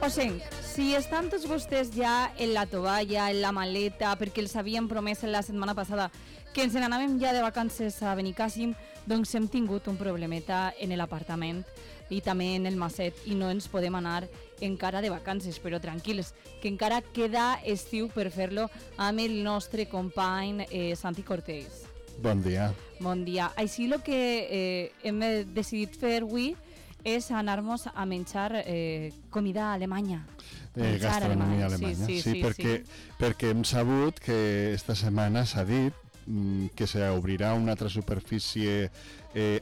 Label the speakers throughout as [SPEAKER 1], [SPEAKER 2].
[SPEAKER 1] Osenc, si estan tots vostès ja en la tovalla, en la maleta, perquè els havien promès la setmana passada que ens n'anàvem ja de vacances a Benicàssim, doncs hem tingut un problemeta en l'apartament i també en el Maset i no ens podem anar encara de vacances, però tranquils, que encara queda estiu per fer-lo amb el nostre company Santi Cortés.
[SPEAKER 2] Bon dia.
[SPEAKER 1] Bon dia. Així el que hem decidit fer avui és anar-nos a menjar comida alemanya.
[SPEAKER 2] Gastronomia alemanya. Sí, perquè hem sabut que esta setmana s'ha dit que s'obrirà una altra superfície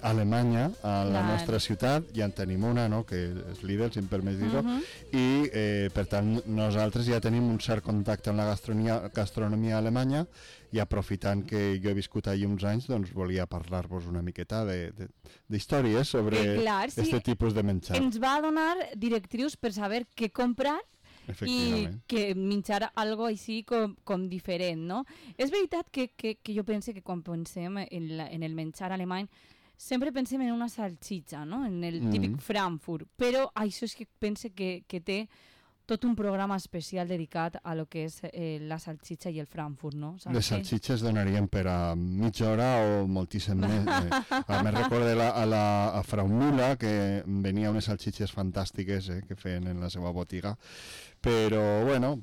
[SPEAKER 2] alemanya a la nostra ciutat, ja en tenim una, no? Que és Lidl, si em permets dir-ho, i per tant nosaltres ja tenim un cert contacte amb la gastronomia alemanya i aprofitant que jo he viscut allà uns anys, doncs volia parlar-vos una miqueta d'històries sobre aquest tipus de menjar.
[SPEAKER 1] Ens va donar directrius per saber què comprar i que menjar algo així com diferent, no? És veritat que jo penso que quan pensem en el menjar alemany sempre pensem en una salsitxa, no? En el típic Frankfurt, però això és que pense que té tot un programa especial dedicat a lo que és la salsitxa i el Frankfurt, no?
[SPEAKER 2] Les salsitxes donarien per a mitja hora o moltíssim més. Me recordo a Frau Müller que venia unes salsitxes fantàstiques que feien en la seva botiga, però bueno,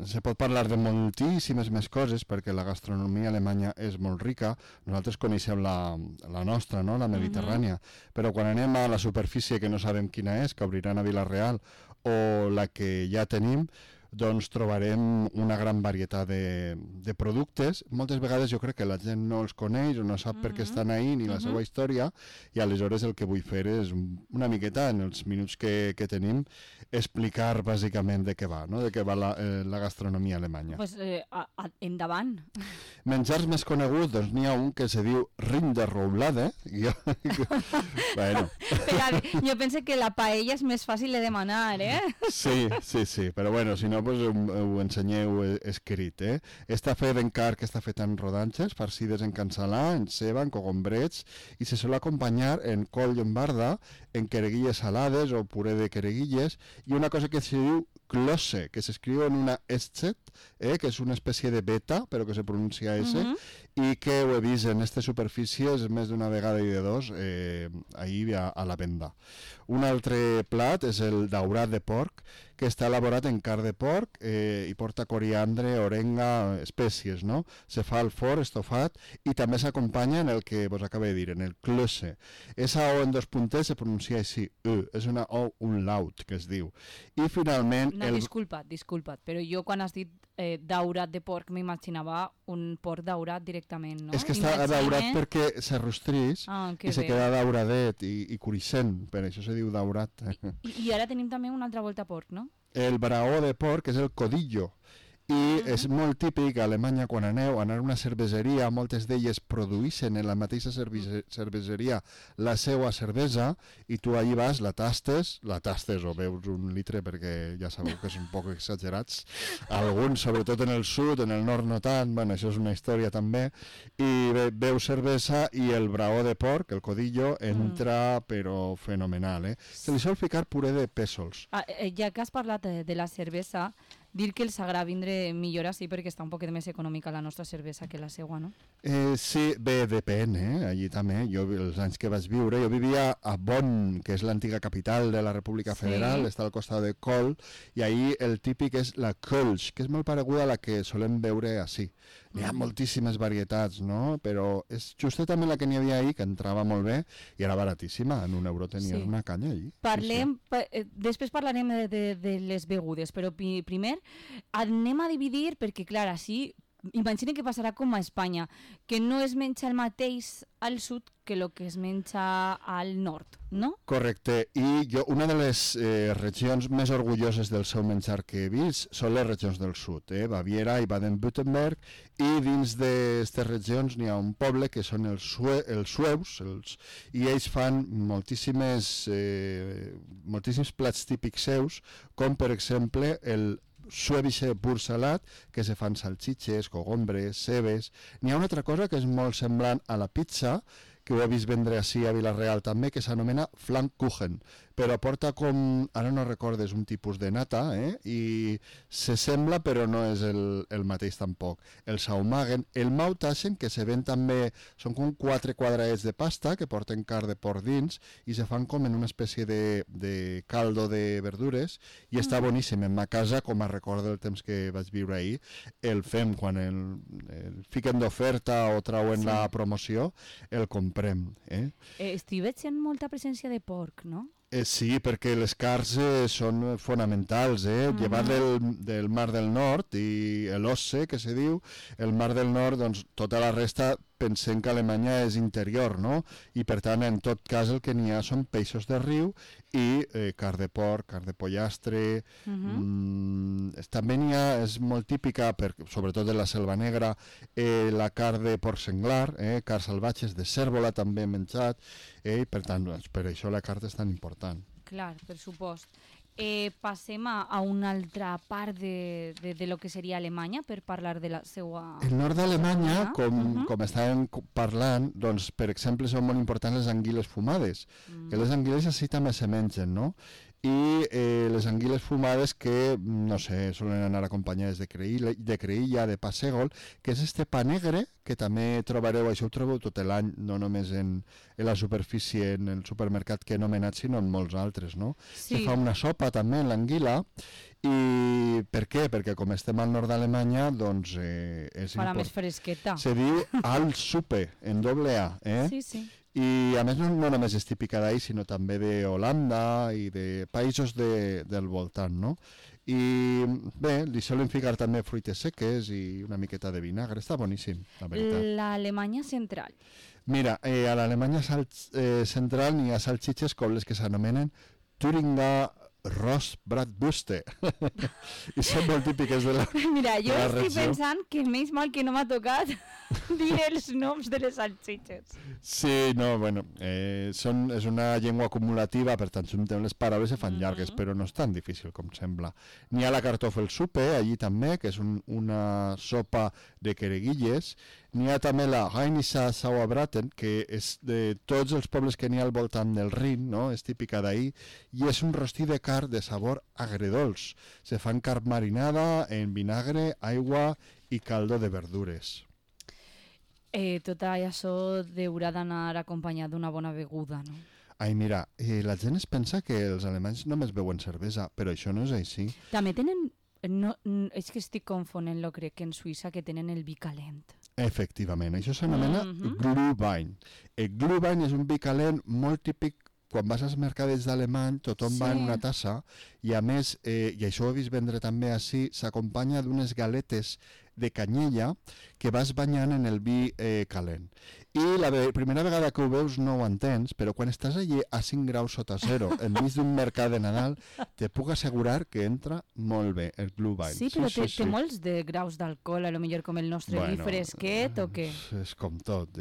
[SPEAKER 2] se pot parlar de moltíssimes més coses perquè la gastronomia alemanya és molt rica. Nosaltres coneixem la nostra, no? La mediterrània, però quan anem a la superfície que no sabem quina és, que obriran a Vila-real, o la que ja tenim, doncs trobarem una gran varietat de productes. Moltes vegades jo crec que la gent no els coneix o no sap per què estan ahí ni la seva història, i aleshores el que vull fer és una miqueta, en els minuts que tenim, explicar bàsicament de què va, no? De què va la gastronomia alemanya.
[SPEAKER 1] Pues endavant.
[SPEAKER 2] Menjars més coneguts, doncs n'hi ha un que se diu Rinderroulade. Bueno.
[SPEAKER 1] Jo penso que la paella és més fàcil de demanar,
[SPEAKER 2] Sí, però bueno, si no, pues ho ensenyeu escrit, Està fet en carn, està fet en rodanxes, farcides en cansalà, en ceba, en cogombrets, i se sol acompanyar en col llombarda, en quereguilles salades o puré de quereguilles, i una cosa que se diu Klosse, que s'escriu en una Eszett, que és una espècie de beta, però que se pronuncia S, i que ho he vist en aquestes superfícies més d'una vegada i de dos ahir a la venda. Un altre plat és el daurat de porc, que està elaborat en carn de porc i porta coriandre, orenga, espècies, no? Se fa al forn, estofat, i també s'acompanya en el que vos acabo de dir, en el Klosse. Esa O en dos punters se pronuncia així, és una O umlaut, que es diu. I finalment...
[SPEAKER 1] No, disculpa't, però jo quan has dit daurat de porc m'imaginava un porc daurat directament, no?
[SPEAKER 2] És que està daurat perquè s'arrostrís i se queda dauradet i cruixent, per això se diu daurat.
[SPEAKER 1] I ara tenim també una altra volta porc, no?
[SPEAKER 2] El braó de porc és el codillo, i és molt típic a Alemanya quan aneu a anar a una cerveseria, moltes d'elles produeixen en la mateixa cerveseria la seva cervesa i tu allí vas, la tastes o veus un litre perquè ja sabeu que és un poc exagerats, alguns sobretot en el sud, en el nord no tant, bueno, això és una història també, i veus cervesa i el braó de porc, el codillo, entra però fenomenal, Se li sol ficar puré de pèsols.
[SPEAKER 1] Ja que has parlat de la cervesa, dir que els agrada vindre millor així perquè està un poquet més econòmica la nostra cervesa que la seua, no?
[SPEAKER 2] Sí, bé, depèn, allí també. Jo, els anys que vaig viure, jo vivia a Bonn, que és l'antiga capital de la República Federal, està al costat de Köln, i ahí el típic és la Kölsch, que és molt pareguda a la que solem veure així. Hi ha moltíssimes varietats, no? Però és justament també la que n'hi havia ahir, que entrava molt bé i era baratíssima, en €1 tenies una canya allí.
[SPEAKER 1] Després parlarem de les begudes, però primer anem a dividir, perquè clar, així imagina que passarà com a Espanya, que no es menja el mateix al sud que el que es menja al nord, no?
[SPEAKER 2] Correcte, i jo una de les regions més orgulloses del seu menjar que he vist són les regions del sud, Baviera i Baden-Württemberg, i dins d'aquestes regions n'hi ha un poble que són els sueus, i ells fan moltíssims plats típics seus, com per exemple el suevische pur salat, que se fan salsitxes, cogombres, cebes. N'hi ha una altra cosa que és molt semblant a la pizza, que ho he vist vendre així a Vila-real també, que s'anomena Flammkuchen, però porta com, ara no recordes, un tipus de nata, i se sembla però no és el mateix tampoc. El saumagen, el mautaschen, que se ven també, són com 4 quadradets de pasta que porten carn de porc dins i se fan com en una espècie de caldo de verdures i està boníssim. En ma casa, com a record del temps que vaig viure ahir, el fem quan el fiquen d'oferta o trauen la promoció, el comprem.
[SPEAKER 1] Estic veient molta presència de porc, no?
[SPEAKER 2] Sí, perquè les carns són fonamentals, llevat del Mar del Nord i l'Osse, que se diu, el Mar del Nord, doncs tota la resta pensem que Alemanya és interior, no? I per tant, en tot cas, el que n'hi ha són peixos de riu i carn de porc, carn de pollastre. També n'hi ha, és molt típica, sobretot de la Selva Negra, la carn de porc senglar, carn salvatges de cérvola també hem menjat, i per tant, per això la carn és tan important.
[SPEAKER 1] Clar, per supost. Passem a una altra part de lo que seria Alemanya per parlar de la seva...
[SPEAKER 2] El nord d'Alemanya, com estàvem parlant, doncs, per exemple, són molt importants les anguiles fumades, que les anguiles així també se mengen, no? I les anguiles fumades que, no sé, solen anar acompanyades de creïlla, de pa sègol, que és este pa negre, que també trobareu, això ho trobeu tot l'any, no només en la superfície, en el supermercat que he anomenat, sinó en molts altres, no? Sí. Se fa una sopa també en l'anguila, i per què? Perquè com estem al nord d'Alemanya, doncs és
[SPEAKER 1] farà més fresqueta.
[SPEAKER 2] Se diu Altsuppe, en doble A,
[SPEAKER 1] Sí, sí.
[SPEAKER 2] I a més no només és típica d'ahir, sinó també d'Holanda i de països del voltant, no? I bé, li solen ficar també fruites seques i una miqueta de vinagre, està boníssim, la veritat.
[SPEAKER 1] L'Alemanya central.
[SPEAKER 2] Mira, a l'Alemanya central n'hi ha salxitxes com les que s'anomenen Thüringer Rostbratwürste. I són molt típiques de la
[SPEAKER 1] Mira, jo estic pensant que menys mal que no m'ha tocat dir els noms de les salsitxes.
[SPEAKER 2] Sí, no, bueno, és una llengua acumulativa, per tant, juntem les paraules i fan llargues, però no és tan difícil com sembla. N'hi ha la Kartoffelsuppe, allí també, que és una sopa de quereguilles. N'hi ha també la Rheinischer Sauerbraten, que és de tots els pobles que n'hi ha al voltant del Rin, no? És típica d'ahir, i és un rostí de carn de sabor agredolç. Se fan carn marinada en vinagre, aigua i caldo de verdures.
[SPEAKER 1] Tot això haurà d'anar acompanyat d'una bona beguda, no?
[SPEAKER 2] Ai, mira, la gent es pensa que els alemanys només beuen cervesa, però això no és així.
[SPEAKER 1] També tenen... No, és que estic confonent-lo, crec que en Suïssa que tenen el vi calent.
[SPEAKER 2] Efectivament, això s'anomena Glühwein. El Glühwein és un vi calent molt típic. Quan vas als mercadets d'alemany, tothom va en una tassa i a més, i això ho he vist vendre també així, s'acompanya d'unes galetes de canyella que vas banyant en el vi calent. I la primera vegada que ho veus no ho entens, però quan estàs allí a 5 graus sota zero, enmig d'un mercat de Nadal, te puc assegurar que entra molt bé el Glühwein.
[SPEAKER 1] Sí, però té molts de graus d'alcohol, a lo millor com el nostre vi fresquet o què?
[SPEAKER 2] És com tot,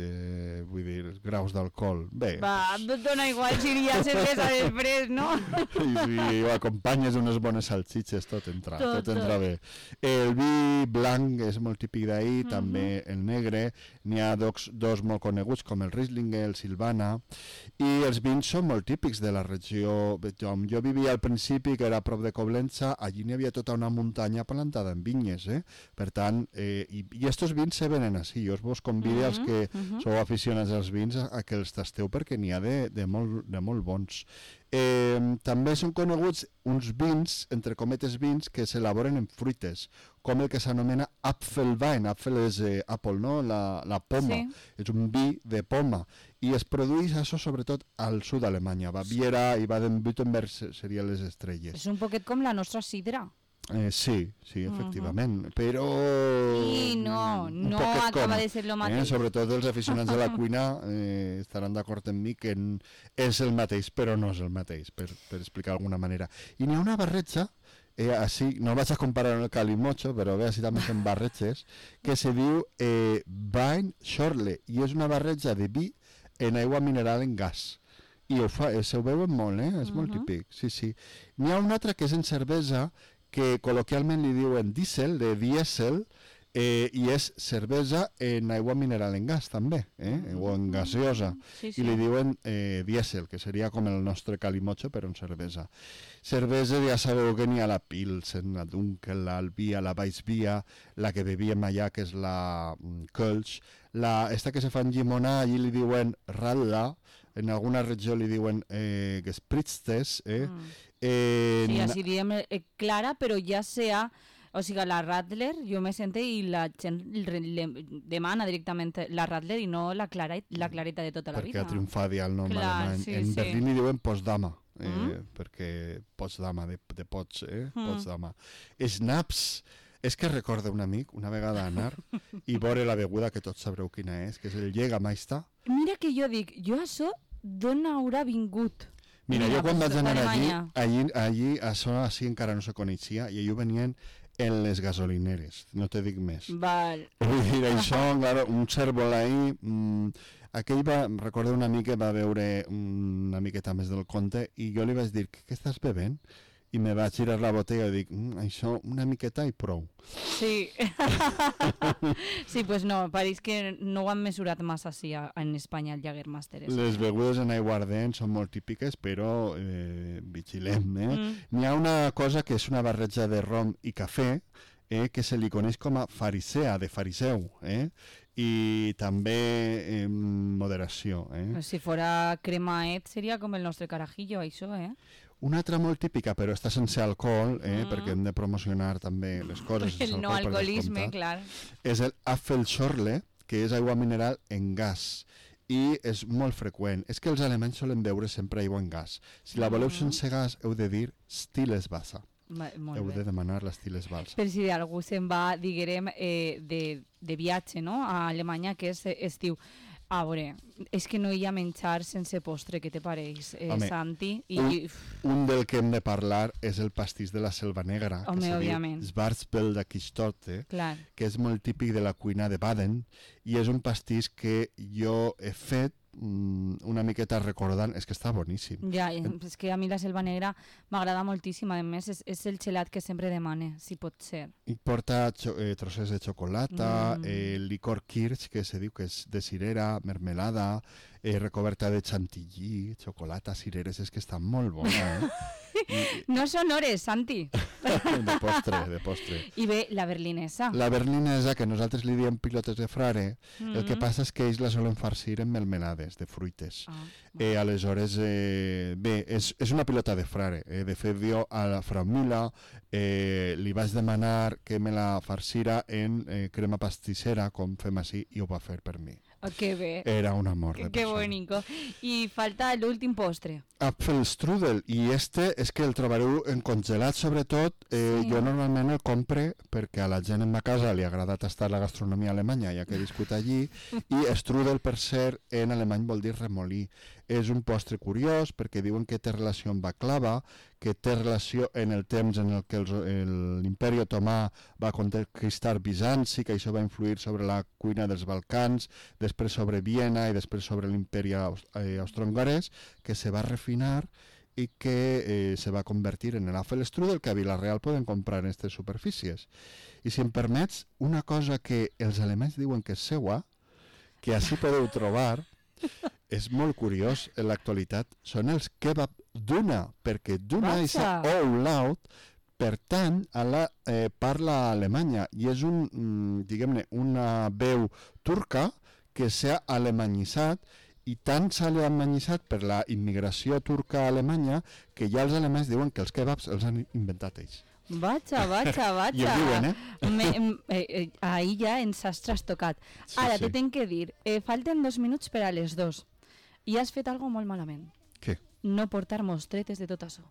[SPEAKER 2] vull dir, graus d'alcohol. Bé.
[SPEAKER 1] Va, dona igual si hi ha cervesa després, no?
[SPEAKER 2] I si ho acompanyes unes bones salsitxes, tot entra bé. El vi blanc és molt típic d'ahir, també el negre, n'hi ha dos molt coneguts com el Riesling, el Silvana, i els vins són molt típics de la regió. Jo vivia al principi, que era a prop de Coblença, allí n'hi havia tota una muntanya plantada en vinyes, per tant, i estos vins se venen així. Jo vos convido als que sou aficionats als vins a que els tasteu perquè n'hi ha de molt bons. També són coneguts uns vins, entre cometes vins, que s'elaboren en fruites, com el que s'anomena Apfelwein. Apfel és apple, no? La poma. Sí. És un vi de poma. I es produeix això sobretot al sud d'Alemanya. Baviera i Baden-Württemberg serien les estrelles.
[SPEAKER 1] És un poquet com la nostra sidra.
[SPEAKER 2] Sí, efectivament, però...
[SPEAKER 1] Sí, no acaba de ser el mateix.
[SPEAKER 2] Sobretot els aficionats de la cuina estaran d'acord amb mi que és el mateix, però no és el mateix, per explicar d'alguna manera. I n'hi ha una barreja, així, no vaig a comparar amb el calimocho, però bé, així també són barretges, que se diu Wein Schorle, i és una barreja de vi en aigua mineral en gas. I se ho veuen molt, és molt típic, sí. N'hi ha una altra que és en cervesa, que col·loquialment li diuen diesel, de dièsel, I és cervesa en aigua mineral en gas també, o en gaseosa, i li diuen dièsel, que seria com el nostre calimocho però en cervesa. Cervesa ja sabeu que n'hi ha la Pilsen, la Dunkel, l'Albia, la Weissbier, la que bevíem allà que és la Kölsch, esta que se fa en llimona allí li diuen Radler, en alguna regió li diuen Gespritztes,
[SPEAKER 1] sí, així diem clara, però ja sea... O sigui, la Radler, jo me sento i la gent demana directament la Radler i no la clareta de tota la vida.
[SPEAKER 2] Perquè ha triomfat ja el nom alemany. En Berlín li diuen Potsdama, perquè Potsdama, de Pots, Potsdama. Schnaps, és que recorda un amic, una vegada anar i veure la beguda que tots sabreu quina és, que és el Jägermeister.
[SPEAKER 1] Mira que jo dic, jo això d'on haurà vingut?
[SPEAKER 2] Mira, jo quan vaig anar allí això així encara no se coneixia i allò venien en les gasolineres, no te dic més.
[SPEAKER 1] Val.
[SPEAKER 2] Vull dir, això, claro, un cèrvol ahí... Aquell recordo un amic que va veure una miqueta més del conte i jo li vaig dir, què estàs bevent? I me va girar la botella i dic, això una miqueta i prou.
[SPEAKER 1] Sí. Sí, pues no, pareix que no ho han mesurat massa així en Espanya, el Jägermeister.
[SPEAKER 2] Les begudes en aiguardent són molt típiques, però vigilem, N'hi ha una cosa que és una barreja de rom i cafè, que se li coneix com a farisea, de fariseu, i també moderació.
[SPEAKER 1] Si fora cremaet seria com el nostre carajillo, això,
[SPEAKER 2] Una altra molt típica, però està sense alcohol, perquè hem de promocionar també les coses.
[SPEAKER 1] El no alcoholisme, clar.
[SPEAKER 2] És el Apfelschorle, que és aigua mineral en gas. I és molt freqüent. És que els alemanys solen beure sempre aigua en gas. Si la voleu sense gas, heu de dir Stilles-Wasser. Heu de demanar la Stilles-Wasser.
[SPEAKER 1] Per si algú se'n va, diguem, de viatge, no?, a Alemanya, que és diu... A veure, és que no hi ha menjar sense postre, què te pareix, Santi?
[SPEAKER 2] Un del que hem de parlar és el pastís de la Selva Negra,
[SPEAKER 1] que se diu
[SPEAKER 2] Schwarzwälder Kirschtorte, que és molt típic de la cuina de Baden, i és un pastís que jo he fet una miqueta recordant, és que està boníssim.
[SPEAKER 1] Ja, és que a mi la Selva Negra m'agrada moltíssim, a més és el gelat que sempre demane, si pot ser.
[SPEAKER 2] I porta trossets de xocolata, licor kirsch, que se diu que és de cirera, mermelada, recoberta de chantilly, xocolata, cireres, és que està molt bona,
[SPEAKER 1] No són hores, Santi.
[SPEAKER 2] De postre.
[SPEAKER 1] I bé, la berlinesa.
[SPEAKER 2] La berlinesa, que nosaltres li diem pilotes de frare, el que passa és que ells la solen farcir en melmelades de fruites. Aleshores, bé, és una pilota de frare. De fet, jo a la Frau Müller li vaig demanar que me la farcira en crema pastissera, com fem així, i ho va fer per mi.
[SPEAKER 1] Que bé.
[SPEAKER 2] Era un amor de persona.
[SPEAKER 1] Que bonico. I falta l'últim postre.
[SPEAKER 2] Apfelstrudel, i és que el trobareu en congelat sobretot. Jo normalment el compre perquè a la gent en ma casa li ha agradat estar la gastronomia alemanya, ja que he viscut allí, i strudel, per cert, en alemany vol dir remolí. És un postre curiós perquè diuen que té relació amb baklava, que té relació en el temps en el que l'imperi otomà va conquistar Bizanci, que això va influir sobre la cuina dels Balcans, després sobre Viena i després sobre l'imperi austro-hongarès, que se va refinar i que se va convertir en l'Apfelstrudel, que a Vila-real poden comprar en aquestes superfícies. I si em permets, una cosa que els alemanys diuen que és seua, que així podeu trobar, és molt curiós en l'actualitat, són els kebab Duna, perquè Duna és Laut pertany a la parla alemanya i és diguem-ne, una veu turca que s'ha alemanyitzat i tant s'ha alemanyitzat per la immigració turca a Alemanya que ja els alemanys diuen que els kebabs els han inventat ells.
[SPEAKER 1] Vaja.
[SPEAKER 2] I ho diuen,
[SPEAKER 1] Ahí ja ens has trastocat. Ara, te tenc que dir, falten 2 minuts per a les 2 i has fet algo molt malament.
[SPEAKER 2] Què?
[SPEAKER 1] No portar mostretes de tot això.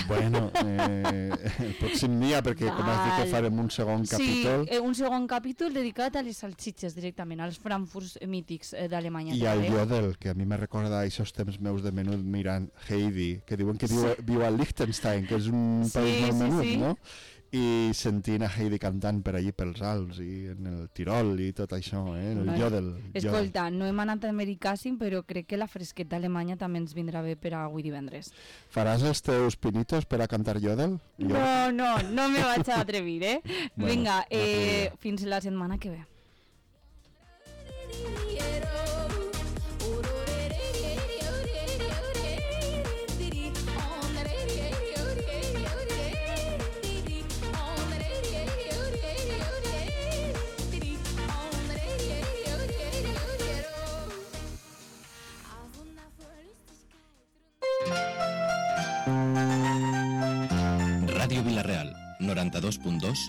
[SPEAKER 2] Bueno, el pròxim dia, perquè com has dit que farem un segon capítol...
[SPEAKER 1] Sí, un segon capítol dedicat a les salsitxes directament, als frankfurts mítics d'Alemanya.
[SPEAKER 2] I al Jodel, que a mi me recorda aquests temps meus de menut mirant Heidi, que diuen que viu a Liechtenstein, que és un país molt menut, no? i sentint a Heidi cantant per allí pels Alps i en el Tirol i tot això, el jodel.
[SPEAKER 1] Escolta, no hem anat a Americàssim, però crec que la fresqueta alemanya també ens vindrà bé per a avui divendres.
[SPEAKER 2] Faràs els teus pinitos per a cantar jodel?
[SPEAKER 1] No me vaig a atrevir, Bueno, vinga, fins la setmana que ve.
[SPEAKER 3] Ràdio Vila-real, 92.2